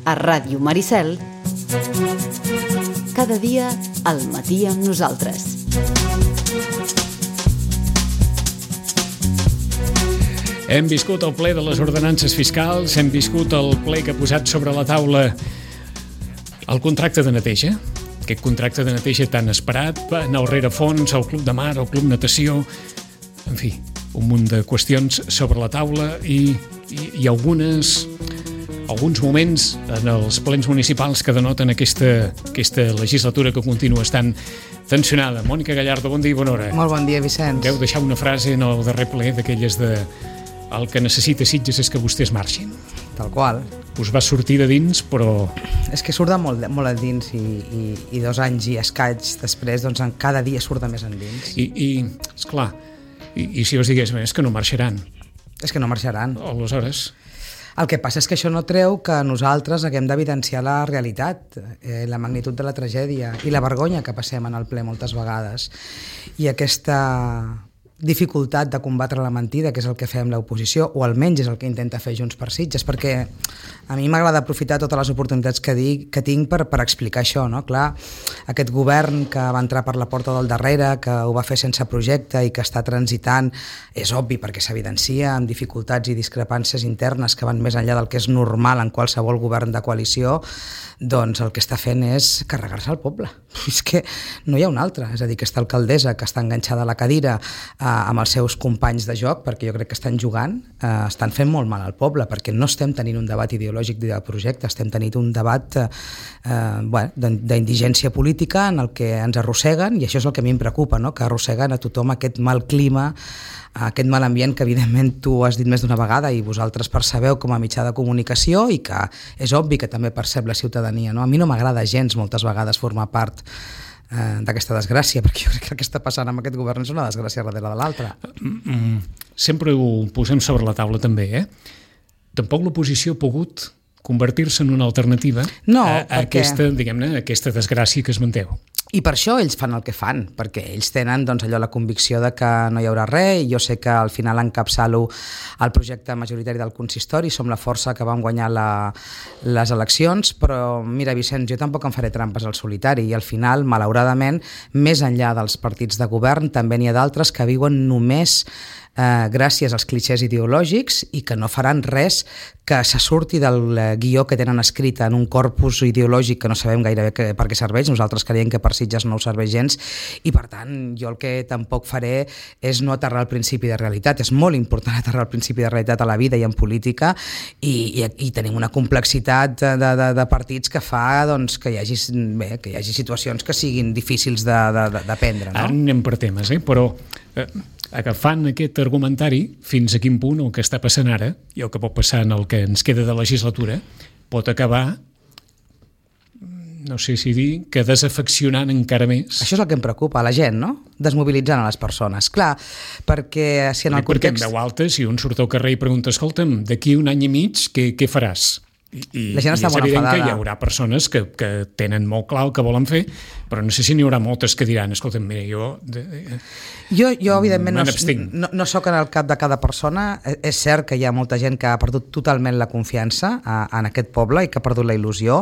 a Ràdio Maricel, cada dia al matí amb nosaltres. Hem viscut el ple de les ordenances fiscals, hem viscut el ple que ha posat sobre la taula el contracte de neteja, aquest contracte de neteja tan esperat, anar al rerefons, al club de mar, al club natació, en fi, un munt de qüestions sobre la taula i alguns moments en els plens municipals que denoten aquesta legislatura que continua estant tensionada. Mònica Gallardo, bon dia i bona hora. Molt bon dia, Vicenç. Deu deixar una frase en el darrer ple d'aquelles de el que necessita Sitges és que vostès marxin. Tal qual. Us va sortir de dins, però... És que surt de molt a dins i 2 anys i escaig després, doncs cada dia surt de més endins. Esclar, i si us digués, és que no marxaran. És que no marxaran. Aleshores... El que passa és que això no treu que nosaltres haguem d'evidenciar la realitat, la magnitud de la tragèdia i la vergonya que passem en el ple moltes vegades. I aquesta dificultat de combatre la mentida, que és el que fem l'oposició, o almenys és el que intenta fer Junts per Sitges, perquè a mi m'agrada aprofitar totes les oportunitats que tinc per explicar això, no? Clar, aquest govern que va entrar per la porta del darrere, que ho va fer sense projecte i que està transitant, és obvi perquè s'evidencia amb dificultats i discrepàncies internes que van més enllà del que és normal en qualsevol govern de coalició, doncs el que està fent és carregar-se al poble. És que no hi ha una altra, és a dir, aquesta alcaldessa que està enganxada a la cadira amb els seus companys de joc, perquè jo crec que estan jugant, estan fent molt mal al poble, perquè no estem tenint un debat ideològic de projecte, estem tenint un debat d'indigència política en el que ens arrosseguen, i això és el que a mi em preocupa, no? Que arrosseguen a tothom aquest mal clima, aquest mal ambient que evidentment tu has dit més d'una vegada i vosaltres percebeu com a mitjà de comunicació i que és obvi que també percep la ciutadania, no? A mi no m'agrada gens moltes vegades formar part d'aquesta desgràcia, perquè jo crec que el que està passant amb aquest govern és una desgràcia darrere de l'altra. Sempre ho posem sobre la taula també, Tampoc l'oposició ha pogut convertir-se en una alternativa a aquesta desgràcia que es manteu. I per això ells fan el que fan, perquè ells tenen doncs, allò la convicció de que no hi haurà res, i jo sé que al final encapçalo el projecte majoritari del consistori, som la força que vam guanyar les eleccions, però mira, Vicenç, jo tampoc em faré trampes al solitari, i al final, malauradament, més enllà dels partits de govern, també n'hi ha d'altres que viuen només gràcies als clixés ideològics i que no faran res que se surti del guió que tenen escrit en un corpus ideològic que no sabem gairebé per què serveix. Nosaltres creiem que per Sitges no ho serveix gens, i per tant jo el que tampoc faré és no aterrar el principi de realitat. És molt important aterrar el principi de realitat a la vida i en política, i tenim una complexitat de partits que fa doncs, que hi hagi situacions que siguin difícils d'aprendre, no? Ara anem per temes, però agafant aquest argumentari, fins a quin punt el que està passant ara i el que pot passar en el que ens queda de legislatura pot acabar, no sé si dir, que desafeccionant encara més. Això és el que em preocupa, la gent, no? Desmobilitzant a les persones. Clar, perquè si en el context... Perquè en veu alta, si un surt al carrer i pregunta, escolta'm, d'aquí 1 any i mig, què faràs? I la gent està molt enfadada. Que hi haurà persones que tenen molt clar el que volen fer, però no sé si n'hi haurà moltes que diran, escolta'm, mira, jo evidentment no soc en el cap de cada persona. És cert que hi ha molta gent que ha perdut totalment la confiança en aquest poble i que ha perdut la il·lusió,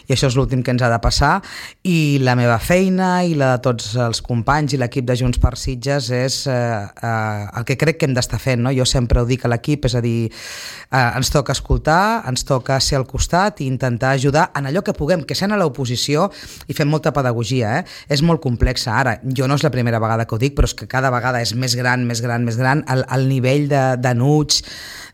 i això és l'últim que ens ha de passar, i la meva feina i la de tots els companys i l'equip de Junts per Sitges és el que crec que hem d'estar fent, no? Jo sempre ho dic a l'equip, és a dir, ens toca escoltar, ens toca ser al costat i intentar ajudar en allò que puguem, que sent a l'oposició i fem molta pedagogia, És molt complexa. Ara, jo no és la primera vegada que ho dic, però és que cada vegada és més gran el nivell d'enuig,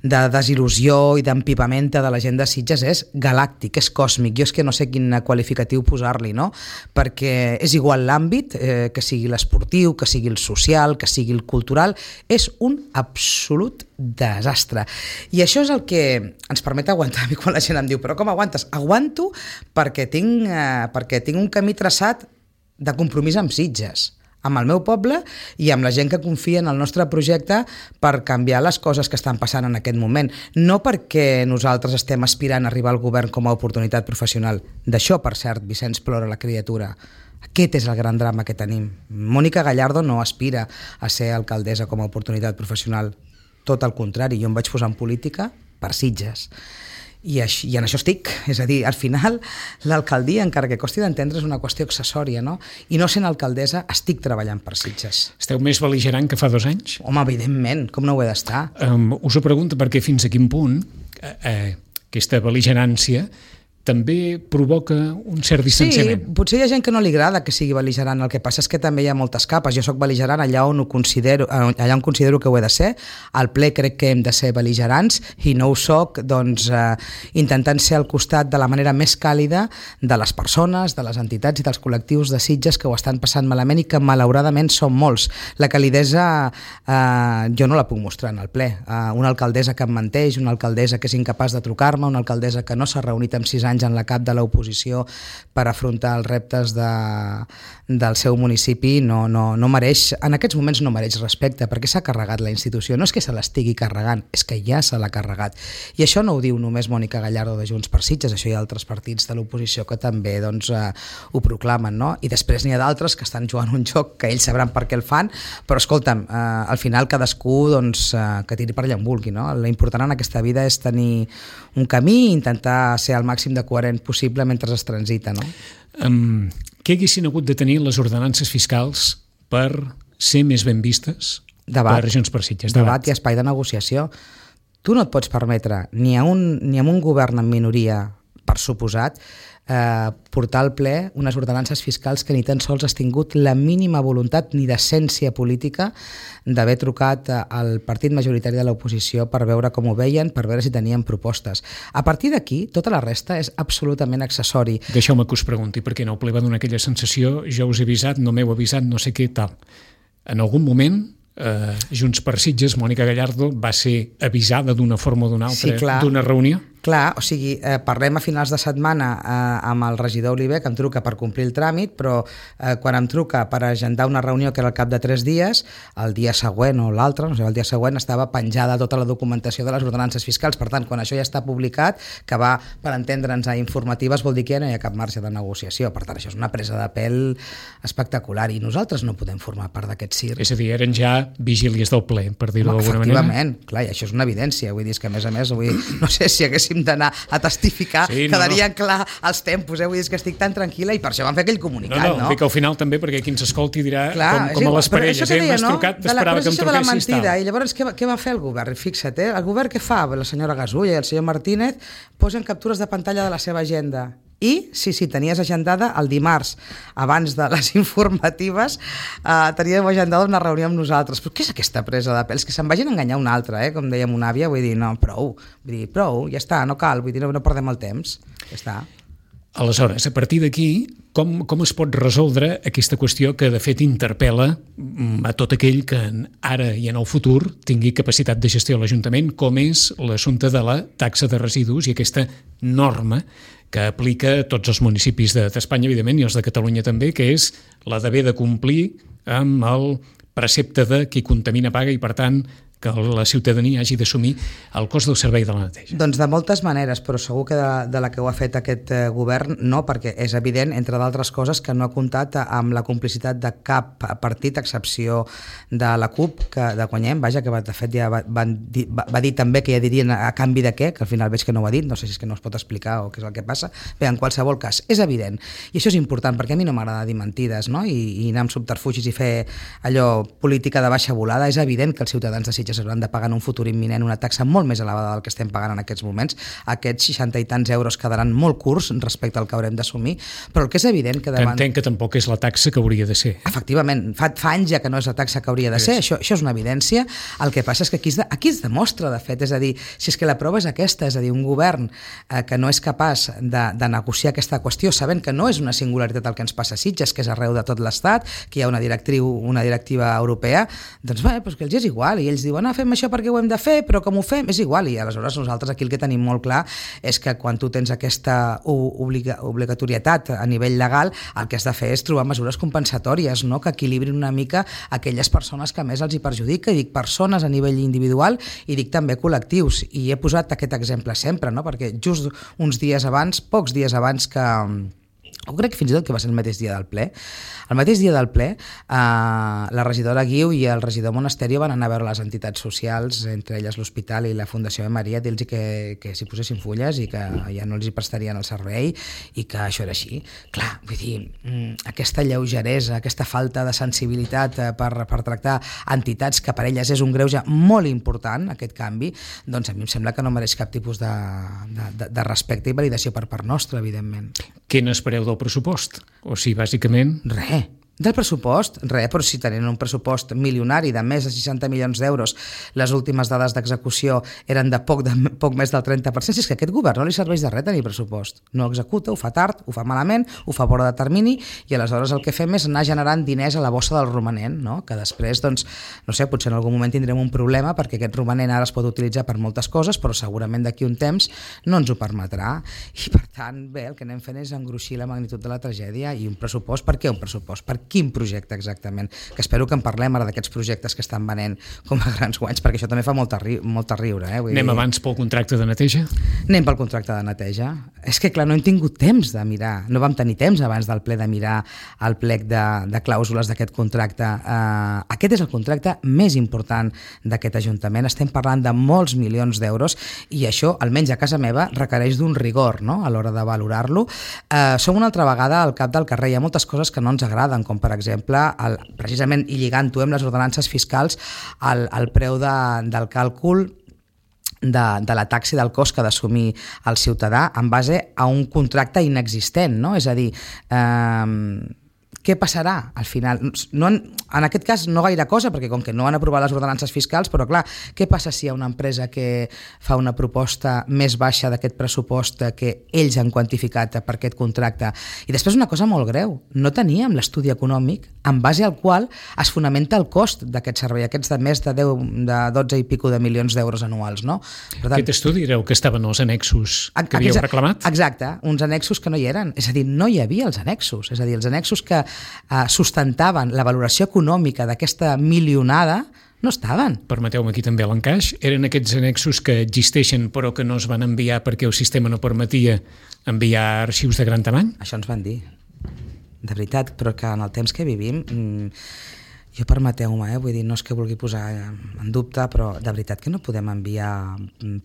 de desil·lusió i d'empipamenta de la gent de Sitges és galàctic, és còsmic. Jo és que no sé quin qualificatiu posar-li, no? Perquè és igual l'àmbit, que sigui l'esportiu, que sigui el social, que sigui el cultural, és un absolut desastre. I això és el que ens permet aguantar. A mi quan la gent em diu, però com aguantes? Aguanto perquè tinc un camí traçat de compromís amb Sitges, amb el meu poble i amb la gent que confia en el nostre projecte per canviar les coses que estan passant en aquest moment. No perquè nosaltres estem aspirant a arribar al govern com a oportunitat professional. D'això, per cert, Vicenç, plora la criatura. Aquest és el gran drama que tenim. Mònica Gallardo no aspira a ser alcaldessa com a oportunitat professional. Tot el contrari, jo em vaig posar en política per Sitges. I en això estic, és a dir, al final l'alcaldia, encara que costi d'entendre, és una qüestió accessòria, no? I no sent alcaldessa estic treballant per Sitges. Esteu més bel·ligerant que fa 2 anys? Home, evidentment, com no ho he d'estar? Us ho pregunto perquè fins a quin punt aquesta bel·ligerància també provoca un cert distanciament. Sí, potser hi ha gent que no li agrada que sigui bel·ligerant, el que passa és que també hi ha moltes capes. Jo soc bel·ligerant allà on considero que ho he de ser. Al ple crec que hem de ser bel·ligerants i no ho soc, doncs, intentant ser al costat de la manera més càlida de les persones, de les entitats i dels col·lectius de Sitges que ho estan passant malament i que malauradament són molts. La calidesa jo no la puc mostrar en el ple. Una alcaldessa que em menteix, una alcaldessa que és incapaç de trucar-me, una alcaldessa que no s'ha reunit amb 6 anys en la cap de l'oposició per afrontar els reptes del seu municipi, no mereix, en aquests moments no mereix respecte, perquè s'ha carregat la institució. No és que se l'estigui carregant, és que ja se l'ha carregat. I això no ho diu només Mònica Gallardo de Junts per Sitges, això hi ha altres partits de l'oposició que també doncs, ho proclamen, no? I després n'hi ha d'altres que estan jugant un joc que ells sabran per què el fan, però escolta'm, al final cadascú doncs, que tiri per allà on vulgui, no? L'important en aquesta vida és tenir un camí i intentar ser al màxim de coherent possible mentre es transita, no? Què haguessin hagut de tenir les ordenances fiscals per ser més ben vistes per Junts per Sitges? Debat i espai de negociació. Tu no et pots permetre, ni a un govern en minoria, per suposat, portar al ple unes ordenances fiscals que ni tan sols has tingut la mínima voluntat ni decència política d'haver trucat al partit majoritari de l'oposició per veure com ho veien, per veure si tenien propostes. A partir d'aquí, tota la resta és absolutament accessori. Deixeu-me que us pregunti, perquè no, el ple va donar aquella sensació, jo us he avisat, no m'heu avisat, no sé què, tal. En algun moment Junts per Sitges, Mònica Gallardo va ser avisada d'una forma o d'una altra d'una reunió? Clar, o sigui, parlem a finals de setmana amb el regidor Oliver, que em truca per complir el tràmit, però quan em truca per agendar una reunió que era al cap de 3 dies, el dia següent o l'altre, no sé, el dia següent estava penjada tota la documentació de les ordenances fiscals. Per tant, quan això ja està publicat, que va, per entendre'ns, a informatives, vol dir que ja no hi ha cap marge de negociació. Per tant, això és una presa de pèl espectacular i nosaltres no podem formar part d'aquest circ. És a dir, eren ja vigílies del ple, per dir-ho d'alguna manera. Efectivament, clar, i això és una evidència. Vull dir que, a més, no sé si haguéssim d'anar a testificar, quedarien clar els tempos, vull dir que estic tan tranquil·la i per això van fer aquell comunicat, no? Dic al final també, perquè qui ens escolti dirà com a les parelles, m'has trucat, t'esperava que em truquessis, tal. I llavors què va fer el govern? Fixa't, el govern què fa? La senyora Gasulla i el senyor Martínez posen captures de pantalla de la seva agenda. I, sí, tenies agendada el dimarts, abans de les informatives, teníem agendada una reunió amb nosaltres. Però què és aquesta presa de pèls? Que se'n vagin a enganyar una altra, com dèiem una àvia, vull dir, no, prou, ja està, no cal, vull dir, no perdem el temps, ja està. Aleshores, a partir d'aquí, com es pot resoldre aquesta qüestió que de fet interpel·la a tot aquell que ara i en el futur tingui capacitat de gestió a l'Ajuntament, com és l'assumpte de la taxa de residus i aquesta norma que aplica a tots els municipis d'Espanya, evidentment, i els de Catalunya també, que és la d'haver de complir amb el precepte de qui contamina paga i, per tant, que la ciutadania hagi d'assumir el cost del servei de la neteja? Doncs de moltes maneres, però segur que de la que ho ha fet aquest govern no, perquè és evident, entre d'altres coses, que no ha comptat amb la complicitat de cap partit, a excepció de la CUP, de Guanyem, vaja, que de fet ja va dir també que ja dirien a canvi de què, que al final veig que no ho ha dit, no sé si és que no es pot explicar o què és el que passa. Bé, en qualsevol cas, és evident, i això és important, perquè a mi no m'agrada dir mentides, no? I anar amb subterfugis i fer allò política de baixa volada. És evident que els ciutadans de Sitges hauran de pagar en un futur imminent una taxa molt més elevada del que estem pagant en aquests moments. Aquests 60 i tants euros quedaran molt curts respecte al que haurem d'assumir, però el que és evident que davant... Entenc que tampoc és la taxa que hauria de ser. Efectivament, fa anys ja que no és la taxa que hauria de ser, això és una evidència. El que passa és que aquí es demostra, de fet, és a dir, si és que la prova és aquesta, és a dir, un govern que no és capaç de negociar aquesta qüestió, sabent que no és una singularitat el que ens passa a Sitges, que és arreu de tot l'Estat, que hi ha una directiva europea, doncs bé, doncs que els és igual, i ells diuen fem això perquè ho hem de fer, però com ho fem? És igual, i aleshores nosaltres aquí el que tenim molt clar és que quan tu tens aquesta obligatorietat a nivell legal, el que has de fer és trobar mesures compensatòries, no? Que equilibrin una mica aquelles persones que més els hi perjudica, i dic persones a nivell individual i dic també col·lectius, i he posat aquest exemple sempre, no? Perquè just uns dies abans, pocs dies abans que o crec que fins i tot que va ser el mateix dia del ple. El mateix dia del ple, la regidora Guiu i el regidor Monasterio van anar a veure les entitats socials, entre elles l'Hospital i la Fundació Maria, dir-los que s'hi posessin fulles i que ja no els hi prestarien el servei i que això era així. Clar, vull dir, aquesta lleugeresa, aquesta falta de sensibilitat per tractar entitats que per elles és un greuge molt important, aquest canvi, doncs a mi em sembla que no mereix cap tipus de respecte i validació per part nostra, evidentment. Què n'espereu del pressupost? O sigui, bàsicament... Res. Del pressupost, res, però si tenien un pressupost milionari de més de 60 milions d'euros, les últimes dades d'execució eren de poc més del 30%, si és que a aquest govern no li serveix de res tenir pressupost. No executa, ho fa tard, ho fa malament, ho fa fora de termini i aleshores el que fem és anar generant diners a la bossa del romanent, no? Que després, doncs, no sé, potser en algun moment tindrem un problema perquè aquest romanent ara es pot utilitzar per moltes coses, però segurament d'aquí un temps no ens ho permetrà. I per tant, bé, el que anem fent és engruixir la magnitud de la tragèdia i un pressupost. Per què un pressupost? Per quin projecte exactament? Que espero que en parlem ara d'aquests projectes que estan venent com a grans guanys, perquè això també fa molta riure. Anem abans pel contracte de neteja? Anem pel contracte de neteja. És que, clar, no hem tingut temps de mirar, no vam tenir temps abans del ple de mirar el plec de clàusules d'aquest contracte. Aquest és el contracte més important d'aquest Ajuntament. Estem parlant de molts milions d'euros i això, almenys a casa meva, requereix d'un rigor, no?, a l'hora de valorar-lo. Som una altra vegada al cap del carrer. Hi ha moltes coses que no ens agraden, com per exemple, precisament i lligant-ho amb les ordenances fiscals, el preu del càlcul de la taxa i del cost que ha d'assumir el ciutadà en base a un contracte inexistent, no? És a dir, què passarà al final? En aquest cas no gaire cosa, perquè com que no han aprovat les ordenances fiscals, però clar, què passa si hi ha una empresa que fa una proposta més baixa d'aquest pressupost que ells han quantificat per aquest contracte? I després una cosa molt greu, no teníem l'estudi econòmic en base al qual es fonamenta el cost d'aquest servei, aquests de més de 12 i pico de milions d'euros anuals, no? Per tant, aquest estudi era el que estaven els annexos que havíeu reclamat? Exacte, uns annexos que no hi eren, és a dir, no hi havia els annexos, és a dir, els annexos que sustentaven la valoració econòmica d'aquesta milionada no estaven. Permeteu-me aquí també l'encaix. Eren aquests annexos que existeixen però que no es van enviar perquè el sistema no permetia enviar arxius de gran tamany? Això ens van dir, de veritat, però que en el temps que vivim, jo permeteu-me, vull dir, no és que vulgui posar en dubte, però de veritat que no podem enviar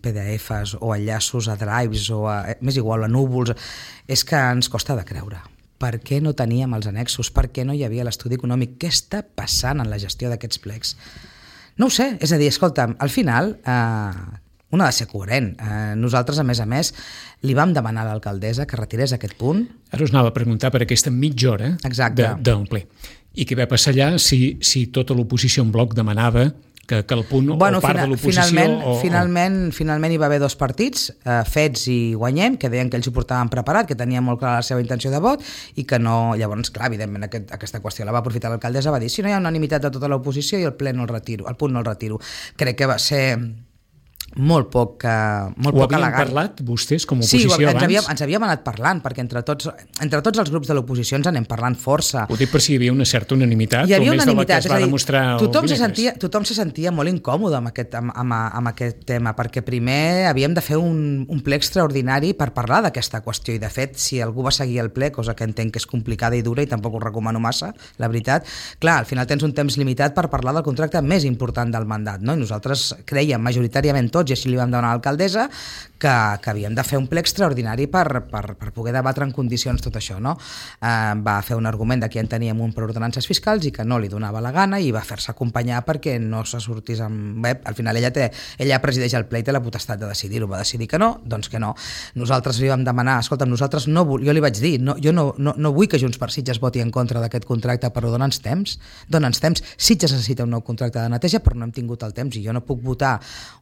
PDFs o enllaços a drives o més igual a núvols, és que ens costa de creure. Per què no teníem els annexos? Per què no hi havia l'estudi econòmic? Què està passant en la gestió d'aquests plecs? No ho sé, és a dir, escolta'm, al final un ha de ser coherent. Nosaltres, a més, li vam demanar a l'alcaldessa que retirés aquest punt. Ara us anava a preguntar per aquesta mitja hora del ple. I què va passar allà si tota l'oposició en bloc demanava que el punt o part de l'oposició... Finalment hi va haver dos partits, Fets i Guanyem, que deien que ells ho portaven preparat, que tenien molt clara la seva intenció de vot i que no... Llavors, clar, evidentment, aquesta qüestió la va aprofitar l'alcaldessa, va dir, si no hi ha unanimitat de tota l'oposició i el punt no el retiro. Crec que va ser molt poc elegant. Ho havien parlat vostès com a oposició abans? Sí, ens havíem anat parlant, perquè entre tots els grups de l'oposició ens anem parlant força. Ho dic per si hi havia una certa unanimitat, o més de la que es va demostrar el dimecres. Tothom se sentia molt incòmode amb aquest tema, perquè primer havíem de fer un ple extraordinari per parlar d'aquesta qüestió, i de fet, si algú va seguir el ple, cosa que entenc que és complicada i dura i tampoc ho recomano massa, la veritat, clar, al final tens un temps limitat per parlar del contracte més important del mandat, no? I nosaltres creiem majoritàriament tots, i així li vam demanar a l'alcaldessa, que havíem de fer un ple extraordinari per poder debatre en condicions tot això, no? Va fer un argument de que ja en teníem un per ordenances fiscals i que no li donava la gana, i va fer-se acompanyar perquè no se sortís amb web. Al final ella presideix el ple i té la potestat de decidir-ho. Va decidir que no, doncs que no. Nosaltres li vam demanar, escolta'm, jo li vaig dir, jo no vull que Junts per Sitges voti en contra d'aquest contracte, però dona'ns temps. Sitges necessita un nou contracte de neteja, però no hem tingut el temps, i jo no puc votar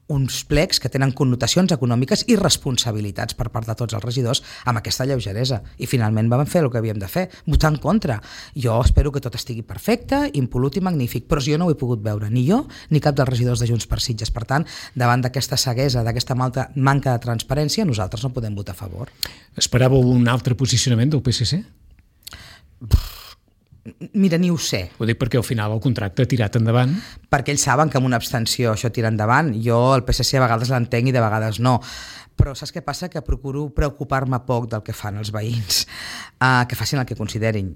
uns plecs que tenen connotacions econòmiques i responsabilitats per part de tots els regidors amb aquesta lleugeresa. I finalment vam fer el que havíem de fer, votar en contra. Jo espero que tot estigui perfecte, impolut i magnífic, però jo no ho he pogut veure, ni jo ni cap dels regidors de Junts per Sitges. Per tant, davant d'aquesta ceguesa, d'aquesta manca de transparència, nosaltres no podem votar a favor. Esperàveu un altre posicionament del PSC? Mira, ni ho sé. Ho dic perquè al final el contracte ha tirat endavant. Perquè ells saben que amb una abstenció això tira endavant. Jo el PSC a vegades l'entenc i de vegades no. però saps què passa? Que procuro preocupar-me poc del que fan els veïns, que facin el que considerin.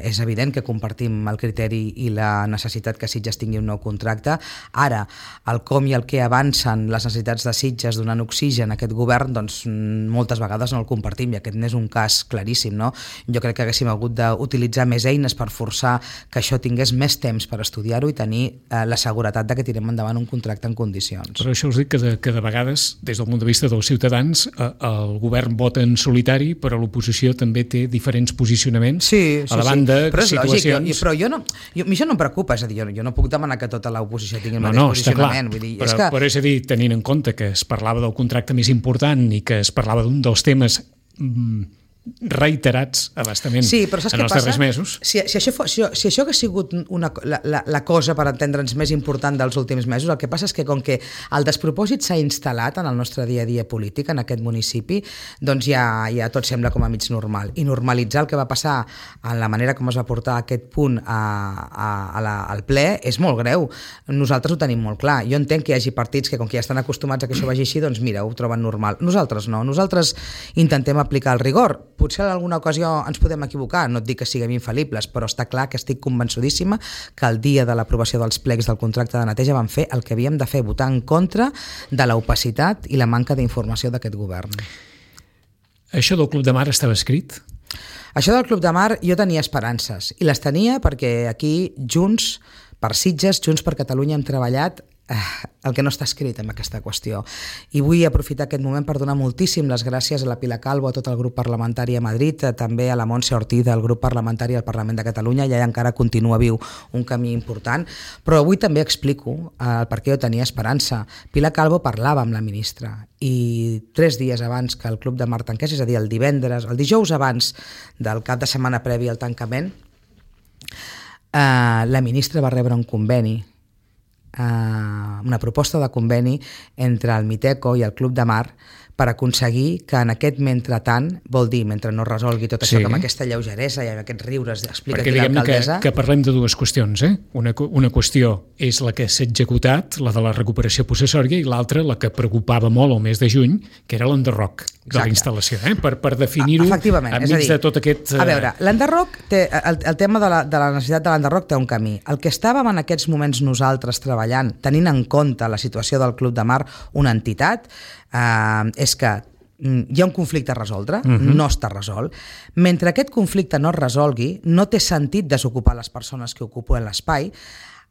És evident que compartim el criteri i la necessitat que Sitges tingui un nou contracte. Ara, el com i el que avancen les necessitats de Sitges donant oxigen a aquest govern, doncs moltes vegades no el compartim, i aquest n'és un cas claríssim, no? Jo crec que haguéssim hagut d'utilitzar més eines per forçar que això tingués més temps per estudiar-ho i tenir la seguretat de que tirem endavant un contracte en condicions. Però això us dic que de vegades, des del punt de vista dels ciutadans, el govern vota en solitari, però l'oposició també té diferents posicionaments a la banda, situacions... Però això no em preocupa, és a dir, jo no puc demanar que tota l'oposició tingui el mateix posicionament. Vull dir, però és a dir, tenint en compte que es parlava del contracte més important i que es parlava d'un dels temes reiterats abastament en els darrers mesos. Si això hagués sigut la cosa, per entendre'ns, més important dels últims mesos, el que passa és que com que el despropòsit s'ha instal·lat en el nostre dia a dia polític, en aquest municipi, doncs ja tot sembla com a mig normal. I normalitzar el que va passar en la manera com es va portar aquest punt al ple és molt greu. Nosaltres ho tenim molt clar. Jo entenc que hi hagi partits que, com que ja estan acostumats a que això vagi així, doncs mira, ho troben normal. Nosaltres no. Nosaltres intentem aplicar el rigor. Potser en alguna ocasió ens podem equivocar, no et dic que siguem infal·libles, però està clar que estic convençudíssima que el dia de l'aprovació dels plecs del contracte de neteja vam fer el que havíem de fer, votar en contra de l'opacitat i la manca d'informació d'aquest govern. Això del Club de Mar estava escrit? Això del Club de Mar jo tenia esperances, i les tenia perquè aquí Junts per Sitges, Junts per Catalunya hem treballat el que no està escrit en aquesta qüestió. I vull aprofitar aquest moment per donar moltíssim les gràcies a la Pilar Calvo, a tot el grup parlamentari a Madrid, també a la Montse Ortiz del grup parlamentari al Parlament de Catalunya. Ja encara continua viu un camí important, però avui també explico el per què jo tenia esperança. Pilar Calvo parlava amb la ministra i 3 dies abans que el Club de Mar tanqués, és a dir, el dijous abans del cap de setmana previ al tancament, la ministra va rebre un conveni, una proposta de conveni entre el Miteco i el Club de Mar per aconseguir que en aquest mentretant, vol dir, mentre no resolgui tot això, que amb aquesta lleugeresa i amb aquests riures explica aquí l'alcaldessa... Que parlem de dues qüestions, Una qüestió és la que s'ha executat, la de la recuperació possessòria, i l'altra, la que preocupava molt el mes de juny, que era l'enderroc de la instal·lació, per definir-ho enmig de tot aquest... A veure, l'enderroc, el tema de la necessitat de l'enderroc té un camí. El que estàvem en aquests moments nosaltres treballant, tenint en compte la situació del Club de Mar, una entitat, és que hi ha un conflicte a resoldre, no està resolt. Mentre aquest conflicte no es resolgui, no té sentit desocupar les persones que ocupen l'espai,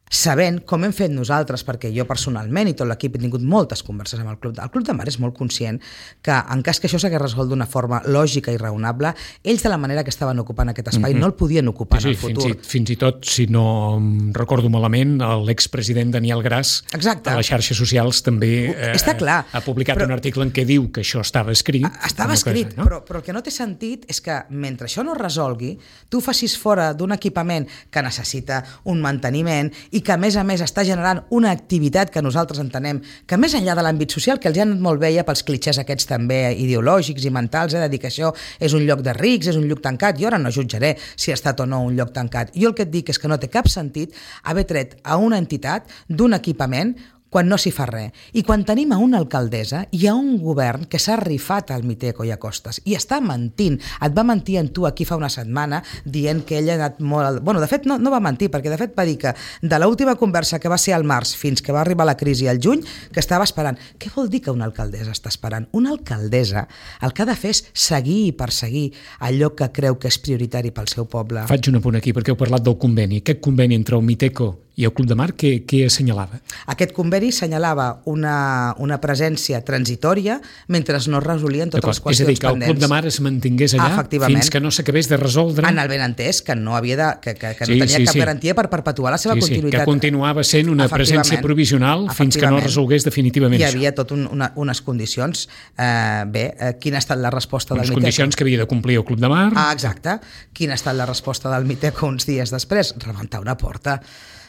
sabent, com hem fet nosaltres, perquè jo personalment i tot l'equip he tingut moltes converses amb el Club de Mar és molt conscient que en cas que això s'hagués resolt d'una forma lògica i raonable, ells de la manera que estaven ocupant aquest espai no el podien ocupar en el futur. Fins i tot, si no recordo malament, l'expresident Daniel Gras a les xarxes socials també ha publicat un article en què diu que això estava escrit. Estava escrit, però el que no té sentit és que mentre això no es resolgui, tu facis fora d'un equipament que necessita un manteniment i que a més està generant una activitat que nosaltres entenem que més enllà de l'àmbit social, que els ha anat molt bé pels clitxers aquests també ideològics i mentals, de dir que això és un lloc de rics, és un lloc tancat. Jo ara no jutjaré si ha estat o no un lloc tancat. Jo el que et dic és que no té cap sentit haver tret a una entitat d'un equipament quan no s'hi fa res. I quan tenim a una alcaldessa i a un govern que s'ha rifat al Miteco i a Costes i està mentint, et va mentir en tu aquí fa una setmana dient que ella ha anat molt... Bueno, de fet no va mentir, perquè de fet va dir que de l'última conversa que va ser al març fins que va arribar la crisi al juny, que estava esperant. Què vol dir que una alcaldessa està esperant? Una alcaldessa el que ha de fer és seguir i perseguir allò que creu que és prioritari pel seu poble. Faig un apunt aquí, perquè heu parlat del conveni. Aquest conveni entre el Miteco i el Club de Mar, què assenyalava? Aquest conveni assenyalava una presència transitòria mentre no es resolien totes les qüestions pendents. És a dir, que el Club de Mar es mantingués allà fins que no s'acabés de resoldre... En el benentès, que no tenia cap garantia per perpetuar la seva continuïtat. Que continuava sent una presència provisional fins que no es resolgués definitivament això. Hi havia tot unes condicions. Quina ha estat la resposta del Miteco? Unes condicions que havia de complir el Club de Mar. Exacte. Quina ha estat la resposta del Miteco uns dies després? Rebentar una porta.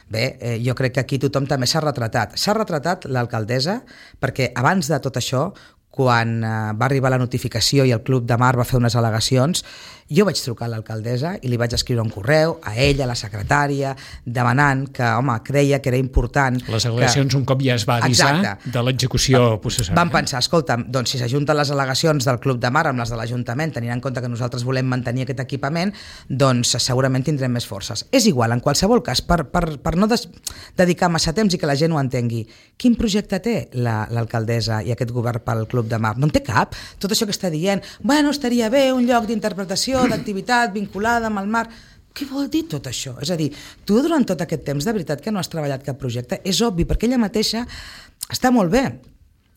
Bé, jo crec que aquí tothom també s'ha retratat. S'ha retratat l'alcaldessa perquè abans de tot això, quan va arribar la notificació i el Club de Mar va fer unes al·legacions, jo vaig trucar a l'alcaldessa i li vaig escriure un correu a ella, a la secretària, demanant que, home, creia que era important... Les al·legacions un cop ja es va avisar de l'execució processòria. Vam pensar, escolta, doncs si s'ajunten les al·legacions del Club de Mar amb les de l'Ajuntament, tenint en compte que nosaltres volem mantenir aquest equipament, doncs segurament tindrem més forces. És igual, en qualsevol cas, per no dedicar massa temps i que la gent ho entengui, quin projecte té l'alcaldessa i aquest govern pel Club de Mar? No en té cap. Tot això que està dient, bueno, estaria bé un lloc d'interpretació, d'activitat vinculada amb el mar... Què vol dir tot això? És a dir, tu durant tot aquest temps de veritat que no has treballat cap projecte, és obvi, perquè ella mateixa està molt bé,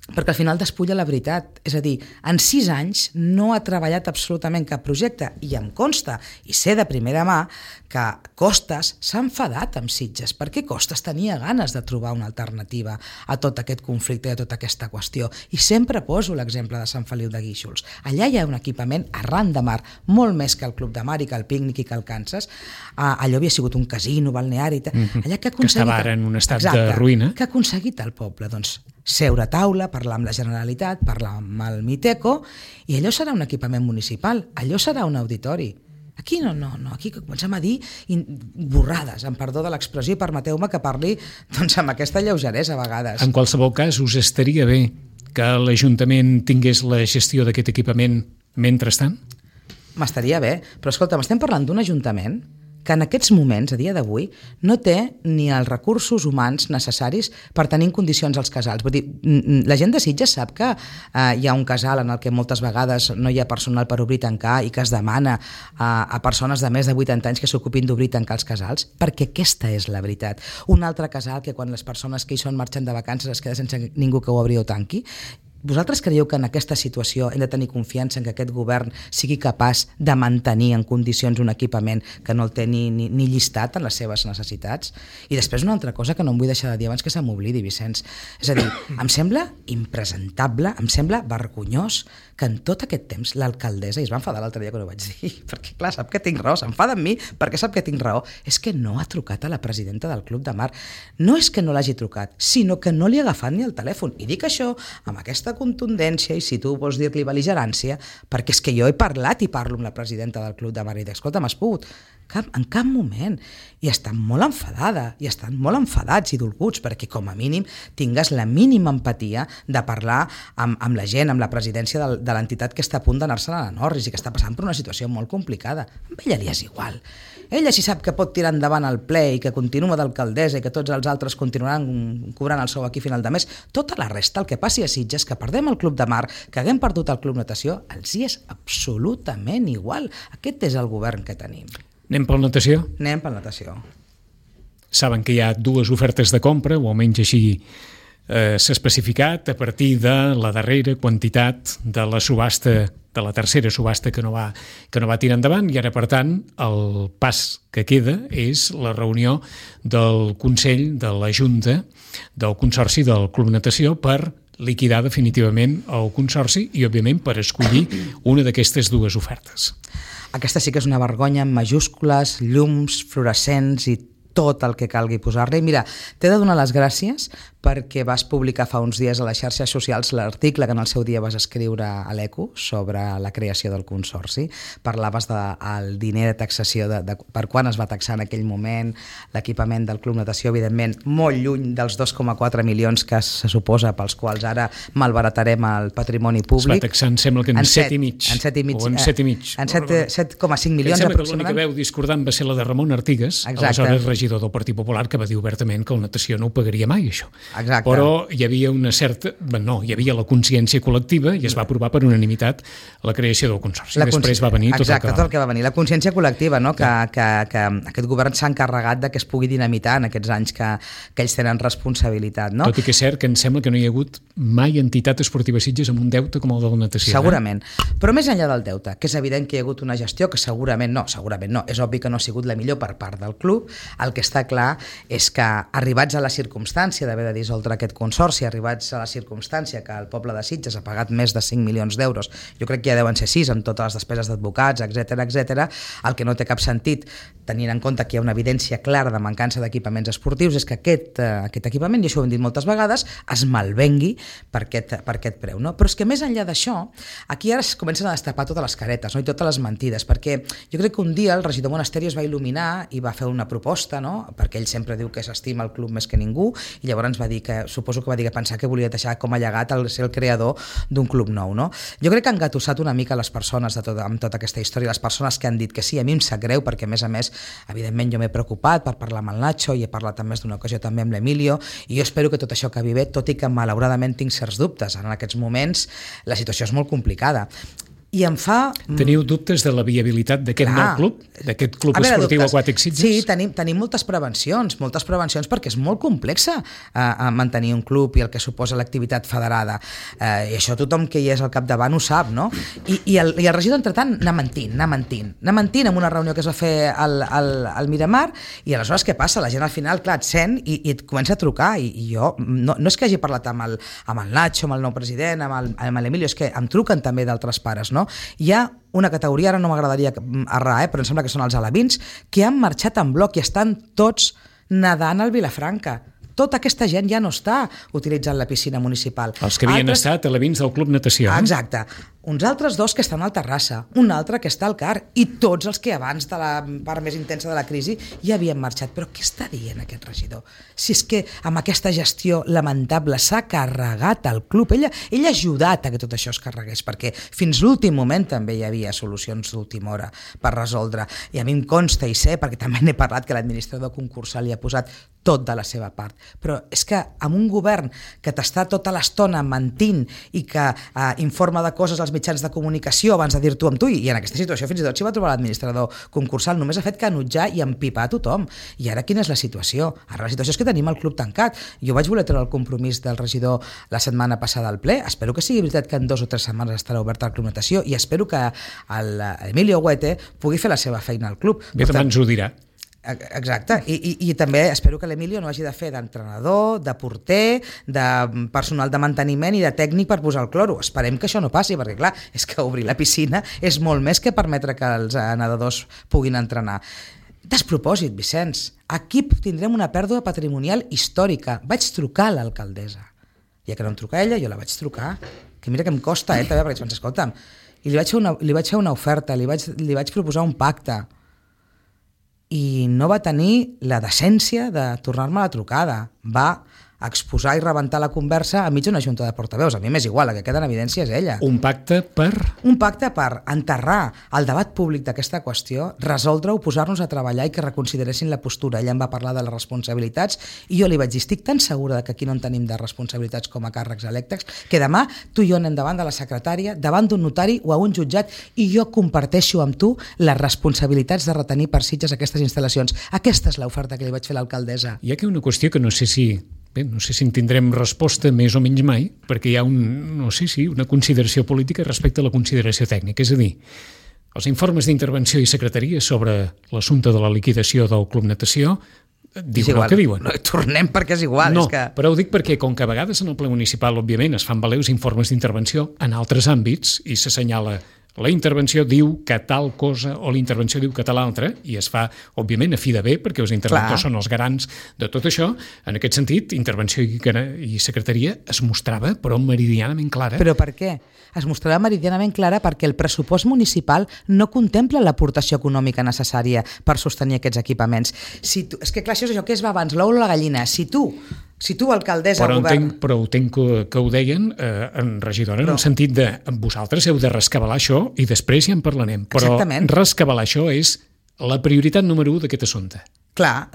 perquè al final despulla la veritat. És a dir, en 6 anys no ha treballat absolutament cap projecte i em consta, i sé de primera mà, que Costas s'ha enfadat amb Sitges, perquè Costas tenia ganes de trobar una alternativa a tot aquest conflicte i a tota aquesta qüestió. I sempre poso l'exemple de Sant Feliu de Guíxols. Allà hi ha un equipament arran de mar, molt més que el Club de Mar i que el Pícnic i que el Kansas. Allò havia sigut un casino, balneari... Allà que estava ara en un estat de ruïna. Que ha aconseguit el poble? Doncs seure a taula, parlar amb la Generalitat, parlar amb el Miteco, i allò serà un equipament municipal, allò serà un auditori. Aquí no, aquí comencem a dir borrades, amb perdó de l'expressió, i permeteu-me que parli doncs, amb aquesta lleugeresa a vegades. En qualsevol cas, us estaria bé que l'Ajuntament tingués la gestió d'aquest equipament mentrestant? M'estaria bé, però escolta, estem parlant d'un ajuntament que en aquests moments, a dia d'avui, no té ni els recursos humans necessaris per tenir en condicions els casals. Vull dir, la gent de Sitges sap que hi ha un casal en el que moltes vegades no hi ha personal per obrir i tancar i que es demana a persones de més de 80 anys que s'ocupin d'obrir i tancar els casals, perquè aquesta és la veritat. Un altre casal que quan les persones que hi són marxen de vacances es queda sense ningú que ho obri o tanqui. Vosaltres creieu que en aquesta situació hem de tenir confiança en que aquest govern sigui capaç de mantenir en condicions un equipament que no el té ni llistat en les seves necessitats? I després una altra cosa que no em vull deixar de dir abans que se m'oblidi, Vicenç. És a dir, em sembla impresentable, em sembla vergonyós que en tot aquest temps l'alcaldessa, i es va enfadar l'altre dia quan ho vaig dir, perquè clar, sap que tinc raó, s'enfada amb mi perquè sap que tinc raó, és que no ha trucat a la presidenta del Club de Mar. No és que no l'hagi trucat, sinó que no li ha agafat ni el telèfon. I dic això amb aquesta contundència, i si tu vols dir-li bel·ligerància, perquè és que jo he parlat i parlo amb la presidenta del Club de Mar i dic, escolta, m'has pogut? En cap moment. I estan molt enfadada, i estan molt enfadats i dolguts, perquè com a mínim tingues la mínima empatia de parlar amb la gent, amb la presidència de l'entitat que està a punt d'anar-se'n a la Norris i que està passant per una situació molt complicada. A ella li és igual. Ella si sap que pot tirar endavant el ple i que continua d'alcaldessa i que tots els altres continuaran cobrant el sou aquí a final de mes, tota la resta, el que passi a Sitges, que perdem el Club de Mar, que haguem perdut el Club Natació, els hi és absolutament igual. Aquest és el govern que tenim. Anem per natació? Anem per natació. Saben que hi ha 2 ofertes de compra, o almenys així s'ha especificat, a partir de la darrera quantitat de la subhasta, de la tercera subhasta que no va tirar endavant, i ara, per tant, el pas que queda és la reunió del Consell de la Junta del Consorci del Club Natació per liquidar definitivament el Consorci i, òbviament, per escollir una d'aquestes 2 ofertes. Aquesta sí que és una vergonya amb majúscules, llums, fluorescents i tot el que calgui posar-li. Mira, t'he de donar les gràcies perquè vas publicar fa uns dies a les xarxes socials l'article que en el seu dia vas escriure a l'Eco sobre la creació del Consorci. Parlaves del diner de taxació, per quan es va taxar en aquell moment l'equipament del Club Natació, evidentment molt lluny dels 2,4 milions que se suposa pels quals ara malbaratarem el patrimoni públic. Es va taxar, em sembla que en 7,5. En 7,5. O en 7,5. En 7,5 milions aproximadament. Em sembla que l'única veu discordant va ser la de Ramon Artigas, aleshores regidor del Partit Popular, que va dir obertament que el Natació no ho pagaria mai, això. Exacte. Però hi havia una certa... No, hi havia la consciència col·lectiva i es va aprovar per unanimitat la creació del Consorci. Després va venir tot el que va venir. La consciència col·lectiva, no? Que aquest govern s'ha encarregat de que es pugui dinamitar en aquests anys que ells tenen responsabilitat. No? Tot i que és cert que em sembla que no hi ha hagut mai entitat esportiva Sitges amb un deute com el de la natació. Segurament. Però més enllà del deute, que és evident que hi ha hagut una gestió que segurament no, és obvi que no ha sigut la millor per part del club, el que està clar és que arribats a la circumstància d'haver de dissoldre aquest consorci, arribats a la circumstància que el poble de Sitges ha pagat més de 5 milions d'euros, jo crec que ja deuen ser 6 amb totes les despeses d'advocats, etc. El que no té cap sentit, tenint en compte que hi ha una evidència clara de mancança d'equipaments esportius, és que aquest equipament, i això ho hem dit moltes vegades, es malvengui per aquest preu. No? Però és que més enllà d'això, aquí ara es comencen a destapar totes les caretes, no? I totes les mentides, perquè jo crec que un dia el regidor Monasterio es va il·luminar i va fer una proposta, no? Perquè ell sempre diu que s'estima el club més que ningú, i llavors va dir que, suposo que va dir que pensar que volia deixar com a llegat ser el creador d'un club nou. No? Jo crec que han engatussat una mica les persones amb tota aquesta història, les persones que han dit que sí, a mi em sap greu, perquè a més, evidentment jo m'he preocupat per parlar amb el Nacho i he parlat en més d'una ocasió també amb l'Emilio, i jo espero que tot això acabi bé, tot i que malauradament tinc certs dubtes. En aquests moments la situació és molt complicada. I em fa... Teniu dubtes de la viabilitat d'aquest nou club? D'aquest club esportiu aquàtic Sitges? Sí, tenim moltes prevencions perquè és molt complexa mantenir un club i el que suposa l'activitat federada. I això tothom que hi és al capdavant ho sap, no? I el regidor, entretant, anar mentint en una reunió que es va fer al Miramar, i aleshores què passa? La gent al final, clar, et sent i et comença a trucar, i jo no és que hagi parlat amb el Nacho, amb el nou president, amb l'Emilio, és que em truquen també d'altres pares, no? Hi ha una categoria, ara no m'agradaria errar, però em sembla que són els alevins, que han marxat en bloc i estan tots nedant al Vilafranca. Tota aquesta gent ja no està utilitzant la piscina municipal. Els que havien estat alevins del Club Natació. Exacte. Uns altres 2 que estan al Terrassa, un altre que està al CAR, i tots els que abans de la part més intensa de la crisi ja havien marxat. Però què està dient aquest regidor? Si és que amb aquesta gestió lamentable s'ha carregat el club, ell ha ajudat a que tot això es carregués, perquè fins l'últim moment també hi havia solucions d'última hora per resoldre, i a mi em consta i sé, perquè també n'he parlat, que l'administrador concursal hi ha posat tot de la seva part. Però és que amb un govern que t'està tota l'estona mentint i que informa de coses als mitjans de comunicació abans de dir-t'ho amb tu, i en aquesta situació fins i tot s'hi va trobar l'administrador concursal, només ha fet canutjar i empipar a tothom. I ara quina és la situació? Ara la situació és que tenim el club tancat. Jo vaig voler treure el compromís del regidor la setmana passada al ple. Espero que sigui veritat que en 2 o 3 setmanes estarà obert el Club Natació, i espero que l'Emilio Huete pugui fer la seva feina al club. Bé, demà ens ho dirà. Exacte, i també espero que l'Emilio no hagi de fer d'entrenador, de porter, de personal de manteniment i de tècnic per posar el cloro. Esperem que això no passi, perquè clar, és que obrir la piscina és molt més que permetre que els nedadors puguin entrenar. Despropòsit, Vicenç. Aquí tindrem una pèrdua patrimonial històrica. Vaig trucar a l'alcaldessa. Ja que no em truca ella, jo la vaig trucar. Que mira que em costa, també, perquè vaig escolta'm. I li vaig fer una oferta, li vaig proposar un pacte. I no va tenir la decència de tornar-me la trucada. Va exposar i rebentar la conversa enmig d'una junta de portaveus. A mi m'és igual, la que queda en evidència és ella. Un pacte per? Un pacte per enterrar el debat públic d'aquesta qüestió, resoldre-ho, posar-nos a treballar i que reconsideressin la postura. Ella em va parlar de les responsabilitats i jo li vaig dir, estic tan segura que aquí no en tenim de responsabilitats com a càrrecs electes, que demà tu i jo anem davant de la secretària, davant d'un notari o a un jutjat, i jo comparteixo amb tu les responsabilitats de retenir per Sitges aquestes instal·lacions. Aquesta és l'oferta que li vaig fer a l'alcaldessa. Hi ha aquí una qüestió que no sé si en tindrem resposta més o menys mai, perquè hi ha una consideració política respecte a la consideració tècnica. És a dir, els informes d'intervenció i secretaria sobre l'assumpte de la liquidació del Club Natació diuen el que diuen. No tornem perquè és igual. No, és que... però ho dic perquè, com que a vegades en el ple municipal, òbviament, es fan valer els informes d'intervenció en altres àmbits i s'assenyala la intervenció diu que tal cosa o la intervenció diu que tal altra, i es fa, òbviament, a fi de bé, perquè els interventors són els garants de tot això. En aquest sentit, intervenció i secretaria es mostrava, però meridianament clara. Però per què? Es mostrava meridianament clara perquè el pressupost municipal no contempla l'aportació econòmica necessària per sostenir aquests equipaments. És que clar, això és allò que es va abans, l'ou o la gallina. Si tu, alcaldessa, govern... Però entenc que ho deien en regidora, en el sentit de vosaltres heu de rescabalar això i després ja en parlarem. Però rescabalar això és la prioritat número 1 d'aquest assumpte. Clar,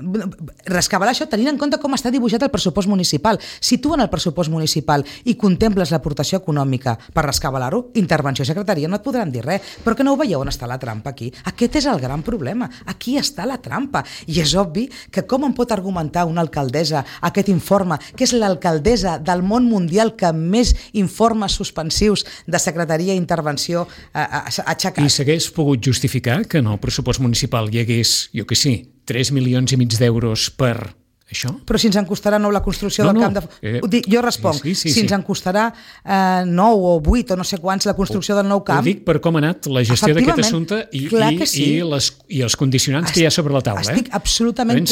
rescabalar això tenint en compte com està dibuixat el pressupost municipal. Si tu en el pressupost municipal i contemples l'aportació econòmica per rescabalar-ho, intervenció i secretaria no et podran dir res. Però que no ho veieu on està la trampa aquí? Aquest és el gran problema. Aquí està la trampa. I és obvi que com em pot argumentar una alcaldessa aquest informe, que és l'alcaldessa del món mundial que més informes suspensius de secretaria i intervenció ha aixecat? I s'hagués pogut justificar que en el pressupost municipal hi hagués, jo què sé, 3,5 milions d'euros per això? Però si ens en costarà la construcció del camp de... Jo responc, si ens en costarà 9 o 8 o no sé quants la construcció del nou camp... Ho dic per com ha anat la gestió d'aquest assumpte i els condicionants que hi ha sobre la taula. Estic absolutament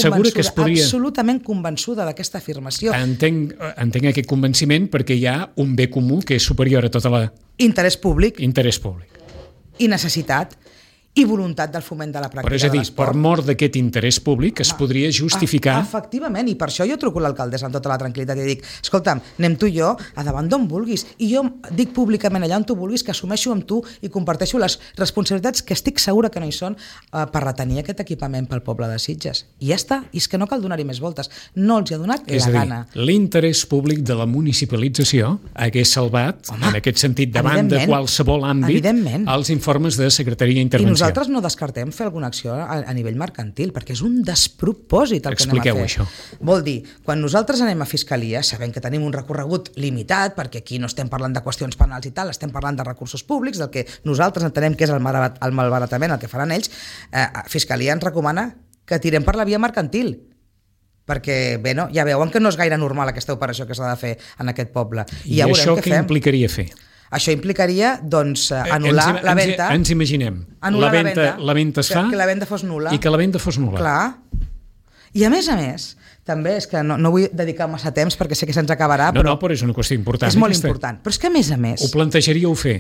convençuda d'aquesta afirmació. Entenc aquest convenciment perquè hi ha un bé comú que és superior a tota la... Interès públic. I necessitat. I voluntat del foment de la pràctica de l'esport. Però és a dir, per mort d'aquest interès públic es podria justificar... Efectivament, i per això jo truco a l'alcaldessa amb tota la tranquil·litat i dic, escolta'm, anem tu i jo a davant d'on vulguis, i jo dic públicament allà on tu vulguis que assumeixo amb tu i comparteixo les responsabilitats que estic segura que no hi són per retenir aquest equipament pel poble de Sitges. I ja està, i és que no cal donar-hi més voltes. No els hi ha donat la gana. És a dir, l'interès públic de la municipalització hagués salvat, en aquest sentit, davant de qualsevol àmbit, els informes de Secretaria d'Intervenció. Nosaltres no descartem fer alguna acció a nivell mercantil, perquè és un despropòsit el que anem a fer. Expliqueu això. Vol dir, quan nosaltres anem a Fiscalia, sabem que tenim un recorregut limitat, perquè aquí no estem parlant de qüestions penals i tal, estem parlant de recursos públics, del que nosaltres entenem que és el malbaratament, el que faran ells. Fiscalia ens recomana que tirem per la via mercantil, perquè, bé, no, ja veuen que no és gaire normal aquesta operació que s'ha de fer en aquest poble. I ja això què implicaria fer? Això implicaria, doncs, anul·lar la venda. Ens imaginem. La venda es fa... Que la venda fos nul·la. I que la venda fos nul·la. Clar. I a més, també és que no vull dedicar massa temps perquè sé que se'ns acabarà, però és una qüestió important. És molt important. Però és que, a més... Ho plantejaríeu fer?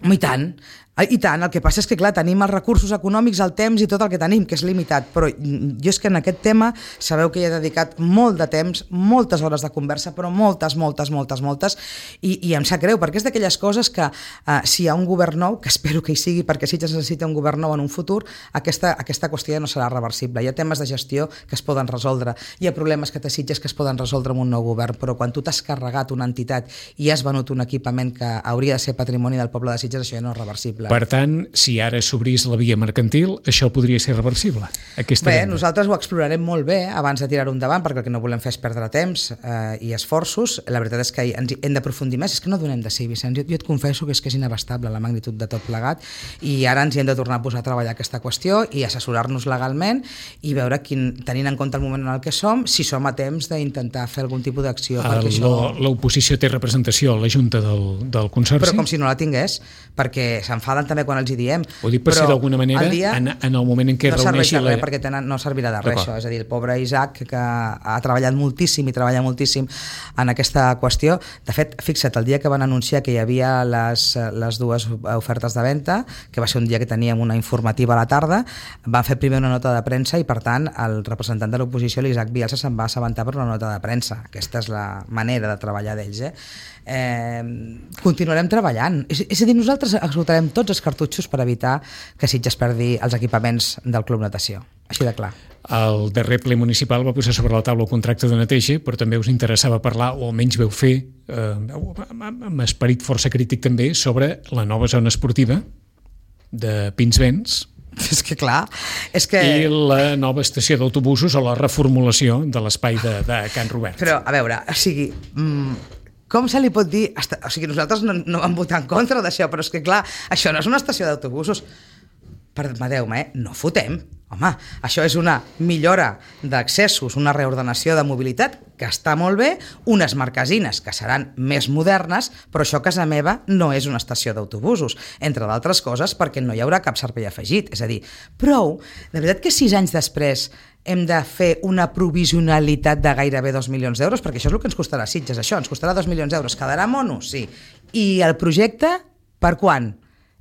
I tant. I tant, el que passa és que, clar, tenim els recursos econòmics, el temps i tot el que tenim, que és limitat, però jo és que en aquest tema sabeu que hi he dedicat molt de temps, moltes hores de conversa, però moltes, i em sap greu, perquè és d'aquelles coses que si hi ha un govern nou, que espero que hi sigui, perquè Sitges necessita un govern nou en un futur, aquesta qüestió no serà reversible. Hi ha temes de gestió que es poden resoldre, hi ha problemes que té Sitges que es poden resoldre amb un nou govern, però quan tu t'has carregat una entitat i has venut un equipament que hauria de ser patrimoni del poble de Sitges, això ja no és reversible. Per tant, si ara s'obrís la via mercantil, això podria ser reversible. Nosaltres ho explorarem molt bé abans de tirar-ho endavant, perquè el que no volem fer és perdre temps i esforços. La veritat és que ens hem d'aprofundir més. És que no donem de sí, Vicenç. Jo et confesso que és inabastable la magnitud de tot plegat i ara ens hi hem de tornar a posar a treballar aquesta qüestió i assessorar-nos legalment i veure, tenint en compte el moment en el que som, si som a temps d'intentar fer algun tipus d'acció. L'oposició té representació a la Junta del Consorci? Però com si no la tingués, perquè s'enfaden també quan els hi diem. Ho dic per si d'alguna manera, en el moment en què es reuneixi... No serveix de res, perquè no servirà de res, això. És a dir, el pobre Isaac, que ha treballat moltíssim i treballa moltíssim en aquesta qüestió. De fet, fixa't, el dia que van anunciar que hi havia les dues ofertes de venda, que va ser un dia que teníem una informativa a la tarda, van fer primer una nota de premsa i, per tant, el representant de l'oposició, l'Isaac Bielsa, se'n va assabentar per una nota de premsa. Aquesta és la manera de treballar d'ells. Continuarem treballant. És a dir, nosaltres esgotarem tots els cartutxos per evitar que Sitges perdi els equipaments del Club Natació. Així de clar. El darrer ple municipal va posar sobre la taula el contracte de neteja, però també us interessava parlar, o almenys veu fer, amb esperit força crític també, sobre la nova zona esportiva de Pinsbens. És que clar, i la nova estació d'autobusos o la reformulació de l'espai de Can Robert. Però, a veure, o sigui... Com se li pot dir... O sigui, nosaltres no vam votar en contra d'això, però és que, clar, això no és una estació d'autobusos. Permeteu-me, no fotem. Home, això és una millora d'accessos, una reordenació de mobilitat que està molt bé, unes marquesines que seran més modernes, però això a casa meva no és una estació d'autobusos, entre d'altres coses perquè no hi haurà cap servei afegit. És a dir, prou, de veritat que 6 anys després hem de fer una provisionalitat de gairebé 2 milions d'euros, perquè això és el que ens costarà Sitges, això, ens costarà 2 milions d'euros. Quedarà mono? Sí. I el projecte, per quan?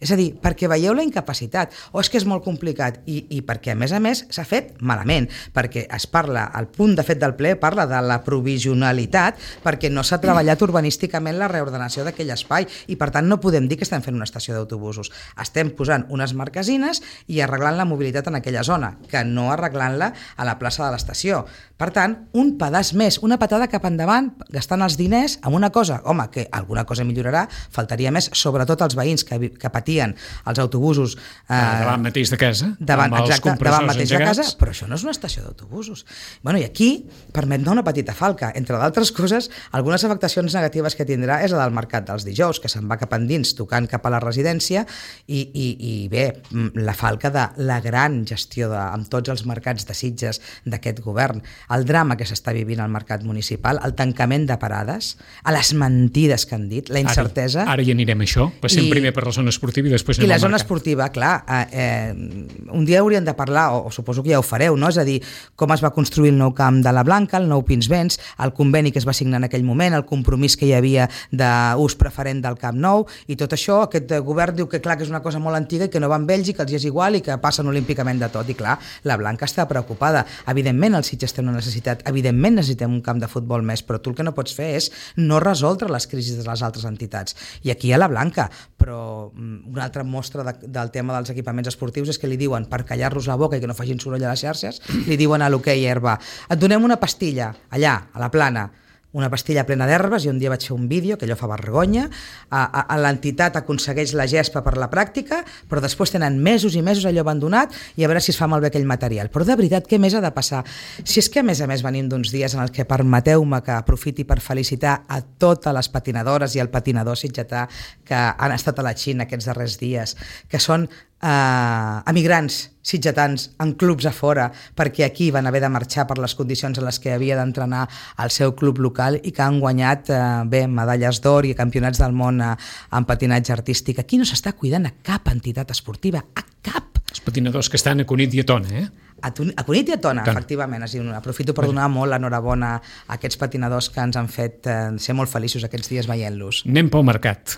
És a dir, perquè veieu la incapacitat, o és que és molt complicat, i perquè a més s'ha fet malament, perquè es parla, el punt de fet del ple parla de la provisionalitat, perquè no s'ha treballat urbanísticament la reordenació d'aquell espai, i per tant no podem dir que estem fent una estació d'autobusos. Estem posant unes marquesines i arreglant la mobilitat en aquella zona, que no arreglant-la a la plaça de l'estació. Per tant, un pedaç més, una patada cap endavant, gastant els diners amb una cosa, home, que alguna cosa millorarà, faltaria més, sobretot els veïns que patim repartien els autobusos davant mateix de casa, davant mateix de casa, però això no és una estació d'autobusos. Bueno, i aquí permet una petita falca. Entre d'altres coses, algunes afectacions negatives que tindrà és la del mercat dels dijous, que se'n va cap endins, tocant cap a la residència, i bé, la falca de la gran gestió amb tots els mercats de Sitges d'aquest govern, el drama que s'està vivint al mercat municipal, el tancament de parades, a les mentides que han dit, la incertesa... Ara hi anirem a això. Passem primer per la zona esportiva i després anem al mercat. I la zona esportiva, clar, un dia hauríem de parlar, o suposo que ja ho fareu, no? És a dir, com es va construir el nou camp de la Blanca, el nou Pinsbens, el conveni que es va signar en aquell moment, el compromís que hi havia d'ús preferent del Camp Nou, i tot això, aquest govern diu que clar que és una cosa molt antiga i que no va amb Bèlgica, els hi és igual i que passen olímpicament de tot. I clar, la Blanca està preocupada. Evidentment el Sitges té una necessitat, evidentment necessitem un camp de futbol més, però tu el que no pots fer és no resoldre les crisis de les altres entitats. I aquí hi ha la Blanca, però una altra mostra del tema dels equipaments esportius és que li diuen, per callar-los la boca i que no facin soroll a les xarxes, li diuen a l'hoquei herba, et donem una pastilla allà, a la Plana, una pastilla plena d'herbes, i un dia vaig fer un vídeo, que allò fa vergonya, l'entitat aconsegueix la gespa per la pràctica, però després tenen mesos i mesos allò abandonat i a veure si es fa malbé aquell material. Però de veritat, què més ha de passar? Si és que a més venim d'uns dies en els que permeteu-me que aprofiti per felicitar a totes les patinadores i el patinador sitgetà que han estat a la Xina aquests darrers dies, que són emigrants sitgetans en clubs a fora perquè aquí van haver de marxar per les condicions en les que havia d'entrenar al seu club local i que han guanyat medalles d'or i campionats del món en patinatge artístic. Aquí no s'està cuidant a cap entitat esportiva, a cap. Els patinadors que estan a Cunit i a Tona, A Cunit i a Tona, efectivament. Aprofito per donar molt l'enhorabona a aquests patinadors que ens han fet ser molt feliços aquests dies veient-los. Anem pel mercat.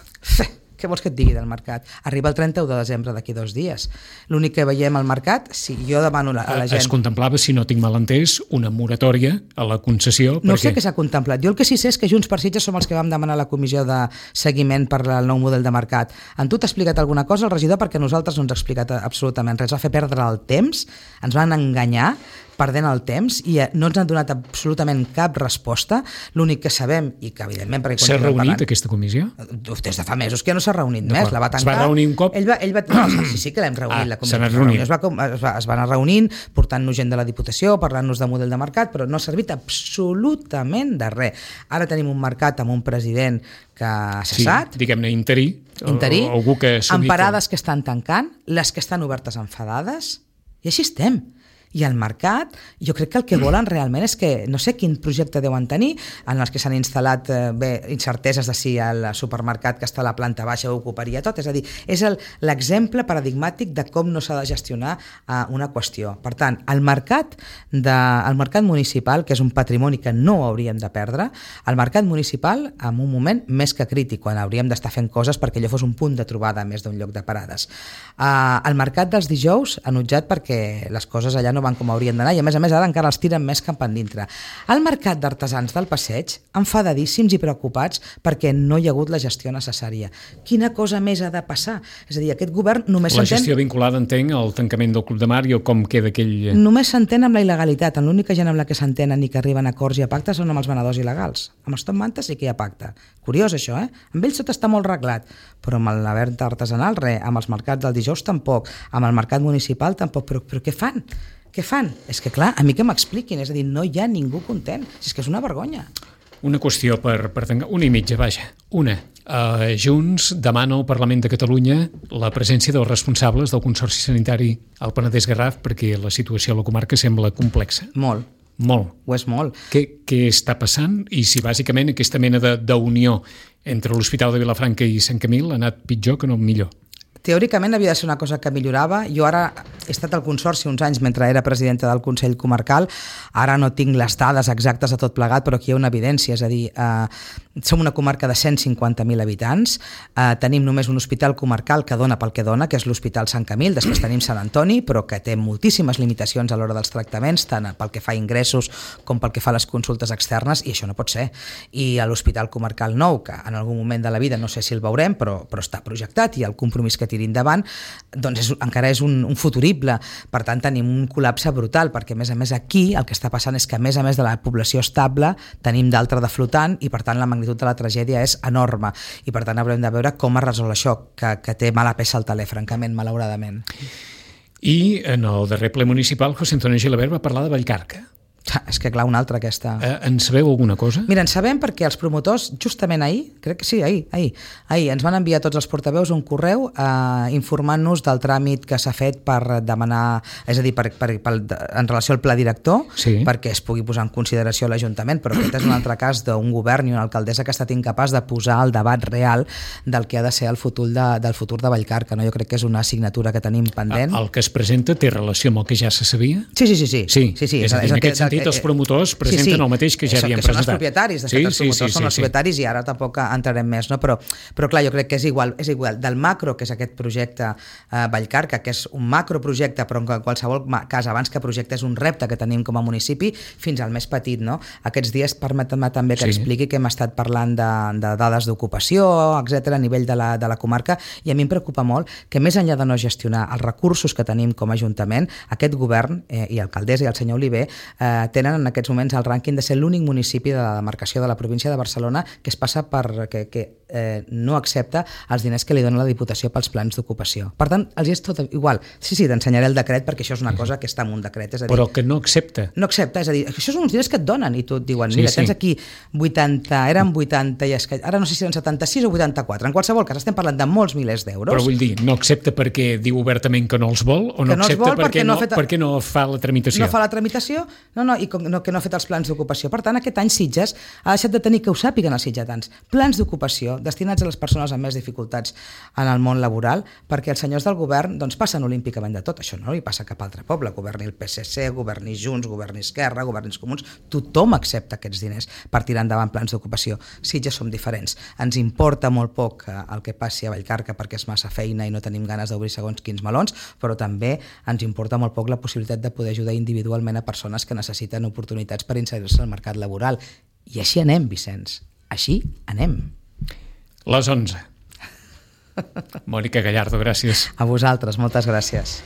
Què vols que et digui del mercat? Arriba el 31 de desembre d'aquí 2 dies. L'únic que veiem al mercat, si jo demano a la gent... Es contemplava, si no tinc mal entès, una moratòria a la concessió... No sé què s'ha contemplat. Jo el que sí sé és que Junts per Sitges som els que vam demanar la comissió de seguiment per al nou model de mercat. En tu t'ha explicat alguna cosa el regidor? Perquè nosaltres no ens ha explicat absolutament res. Va fer perdre el temps, ens van enganyar perdent el temps i no ens han donat absolutament cap resposta. L'únic que sabem, i que evidentment... S'ha reunit aquesta comissió? Des de fa mesos que ja no s'ha reunit més, la va tancar. Es va reunir un cop? Sí que l'hem reunit, la comissió. Es van anar reunint, portant-nos gent de la Diputació, parlant-nos de model de mercat, però no ha servit absolutament de res. Ara tenim un mercat amb un president que ha cessat. Sí, diguem-ne interí. Algú que amb parades que estan tancant, les que estan obertes enfadades, i així estem. I el mercat, jo crec que el que volen realment és que, no sé quin projecte deuen tenir, en els que s'han instal·lat incerteses de si el supermercat que està a la planta baixa ho ocuparia tot, és a dir, és l'exemple paradigmàtic de com no s'ha de gestionar una qüestió. Per tant, el mercat municipal, que és un patrimoni que no hauríem de perdre, el mercat municipal en un moment més que crític, quan hauríem d'estar fent coses perquè allò fos un punt de trobada més d'un lloc de parades. El mercat dels dijous ha notjat perquè les coses allà no van com haurien d'anar i a més ara encara els tiren més cap endintre. El mercat d'artesans del Passeig, enfadadíssims i preocupats perquè no hi ha hagut la gestió necessària. Quina cosa més ha de passar? És a dir, aquest govern només s'entén... La gestió vinculada, entenc, al tancament del Club de Mar i o com queda aquell... Només s'entén amb la il·legalitat. L'única gent amb la que s'entenen i que arriben a acords i a pactes són amb els venedors il·legals. Amb els top mantes sí que hi ha pacte. Curiós això, Amb ells tot està molt reglat, però amb la venda artesanal res, amb els mercats del dijous tampoc, amb el mercat municipal tampoc, però què fan? Què fan? És que clar, a mi que m'expliquin, és a dir, no hi ha ningú content, és que és una vergonya. Una qüestió per tancar, una i mitja, vaja, una. Junts demana al Parlament de Catalunya la presència dels responsables del Consorci Sanitari al Penedès-Garraf perquè la situació a la comarca sembla complexa. Molt. Ho és molt. Què està passant i si bàsicament aquesta mena d'unió entre l'Hospital de Vilafranca i Sant Camil ha anat pitjor que no millor? Teòricament havia de ser una cosa que millorava. Jo ara he estat al Consorci uns anys mentre era presidenta del Consell Comarcal. Ara no tinc les dades exactes de tot plegat, però aquí hi ha una evidència. És a dir, som una comarca de 150.000 habitants, tenim només un hospital comarcal que dona pel que dona, que és l'Hospital Sant Camil, després tenim Sant Antoni, però que té moltíssimes limitacions a l'hora dels tractaments, tant pel que fa a ingressos com pel que fa a les consultes externes, i això no pot ser. I a l'Hospital Comarcal Nou, que en algun moment de la vida no sé si el veurem, però està projectat i el compromís que tiri endavant, doncs encara és un futurible. Per tant, tenim un col·lapse brutal, perquè a més aquí el que està passant és que a més de la població estable tenim d'altra de flotant i per tant la magnitud de la tragèdia és enorme i per tant haurem de veure com es resol això, que té mala peça al taler, francament, malauradament. I en el darrer ple municipal José Antonio Gilabert va parlar de Vallcarca. És que clar, una altra aquesta... En sabeu alguna cosa? Mira, en sabem perquè els promotors, justament ahir, crec que sí, ahir, ens van enviar tots els portaveus un correu informant-nos del tràmit que s'ha fet per demanar, és a dir, en relació al pla director, sí, perquè es pugui posar en consideració l'Ajuntament, però aquest és un altre cas d'un govern i una alcaldessa que ha estat incapaç de posar el debat real del que ha de ser el futur del futur de Vallcarca. No? Jo crec que és una assignatura que tenim pendent. El que es presenta té relació amb el que ja se sabia? Sí. És a dir, en aquest sentit els promotors presenten el mateix que ja havien presentat. Són els propietaris, de fet, els promotors són els propietaris i ara tampoc entrarem més, no? Però clar, jo crec que és igual del macro, que és aquest projecte Vallcarca, que és un macroprojecte, però en qualsevol cas, abans que projecte, és un repte que tenim com a municipi, fins al més petit, no? Aquests dies, permetem-me també que expliqui que hem estat parlant de dades d'ocupació, etcètera, a nivell de la comarca, i a mi em preocupa molt que més enllà de no gestionar els recursos que tenim com a Ajuntament, aquest govern i l'alcaldessa i el senyor Oliver tenen en aquests moments el rànquing de ser l'únic municipi de la demarcació de la província de Barcelona que es passa que no accepta els diners que li dona la Diputació pels plans d'ocupació. Per tant, els és tot igual. Sí, t'ensenyaré el decret perquè això és una cosa que està en un decret. És a dir, però que no accepta. No accepta, és a dir, això són uns diners que et donen i tu et diuen, mira, tens aquí 80, eren 80 i ara no sé si eren 76 o 84. En qualsevol cas, estem parlant de molts milers d'euros. Però vull dir, no accepta perquè diu obertament que no els vol o no accepta perquè no fa la tramitació? No fa la tramitació, i que no ha fet els plans d'ocupació. Per tant, aquest any Sitges ha deixat de tenir, que ho sàpiguen els sitgetans, plans d'ocupació destinats a les persones amb més dificultats en el món laboral, perquè els senyors del govern passen olímpicament de tot. Això no li passa a cap altre poble. Governi el PSC, governi Junts, governi Esquerra, governi els Comuns, tothom accepta aquests diners per tirar endavant plans d'ocupació. Sitges som diferents. Ens importa molt poc el que passi a Vallcarca perquè és massa feina i no tenim ganes d'obrir segons quins melons, però també ens importa molt poc la possibilitat de poder ajudar individualment a persones que necessiten oportunitats per inserir-se al mercat laboral. I així anem, Vicenç. Així anem. Les 11. Mònica Gallardo, gràcies. A vosaltres, moltes gràcies.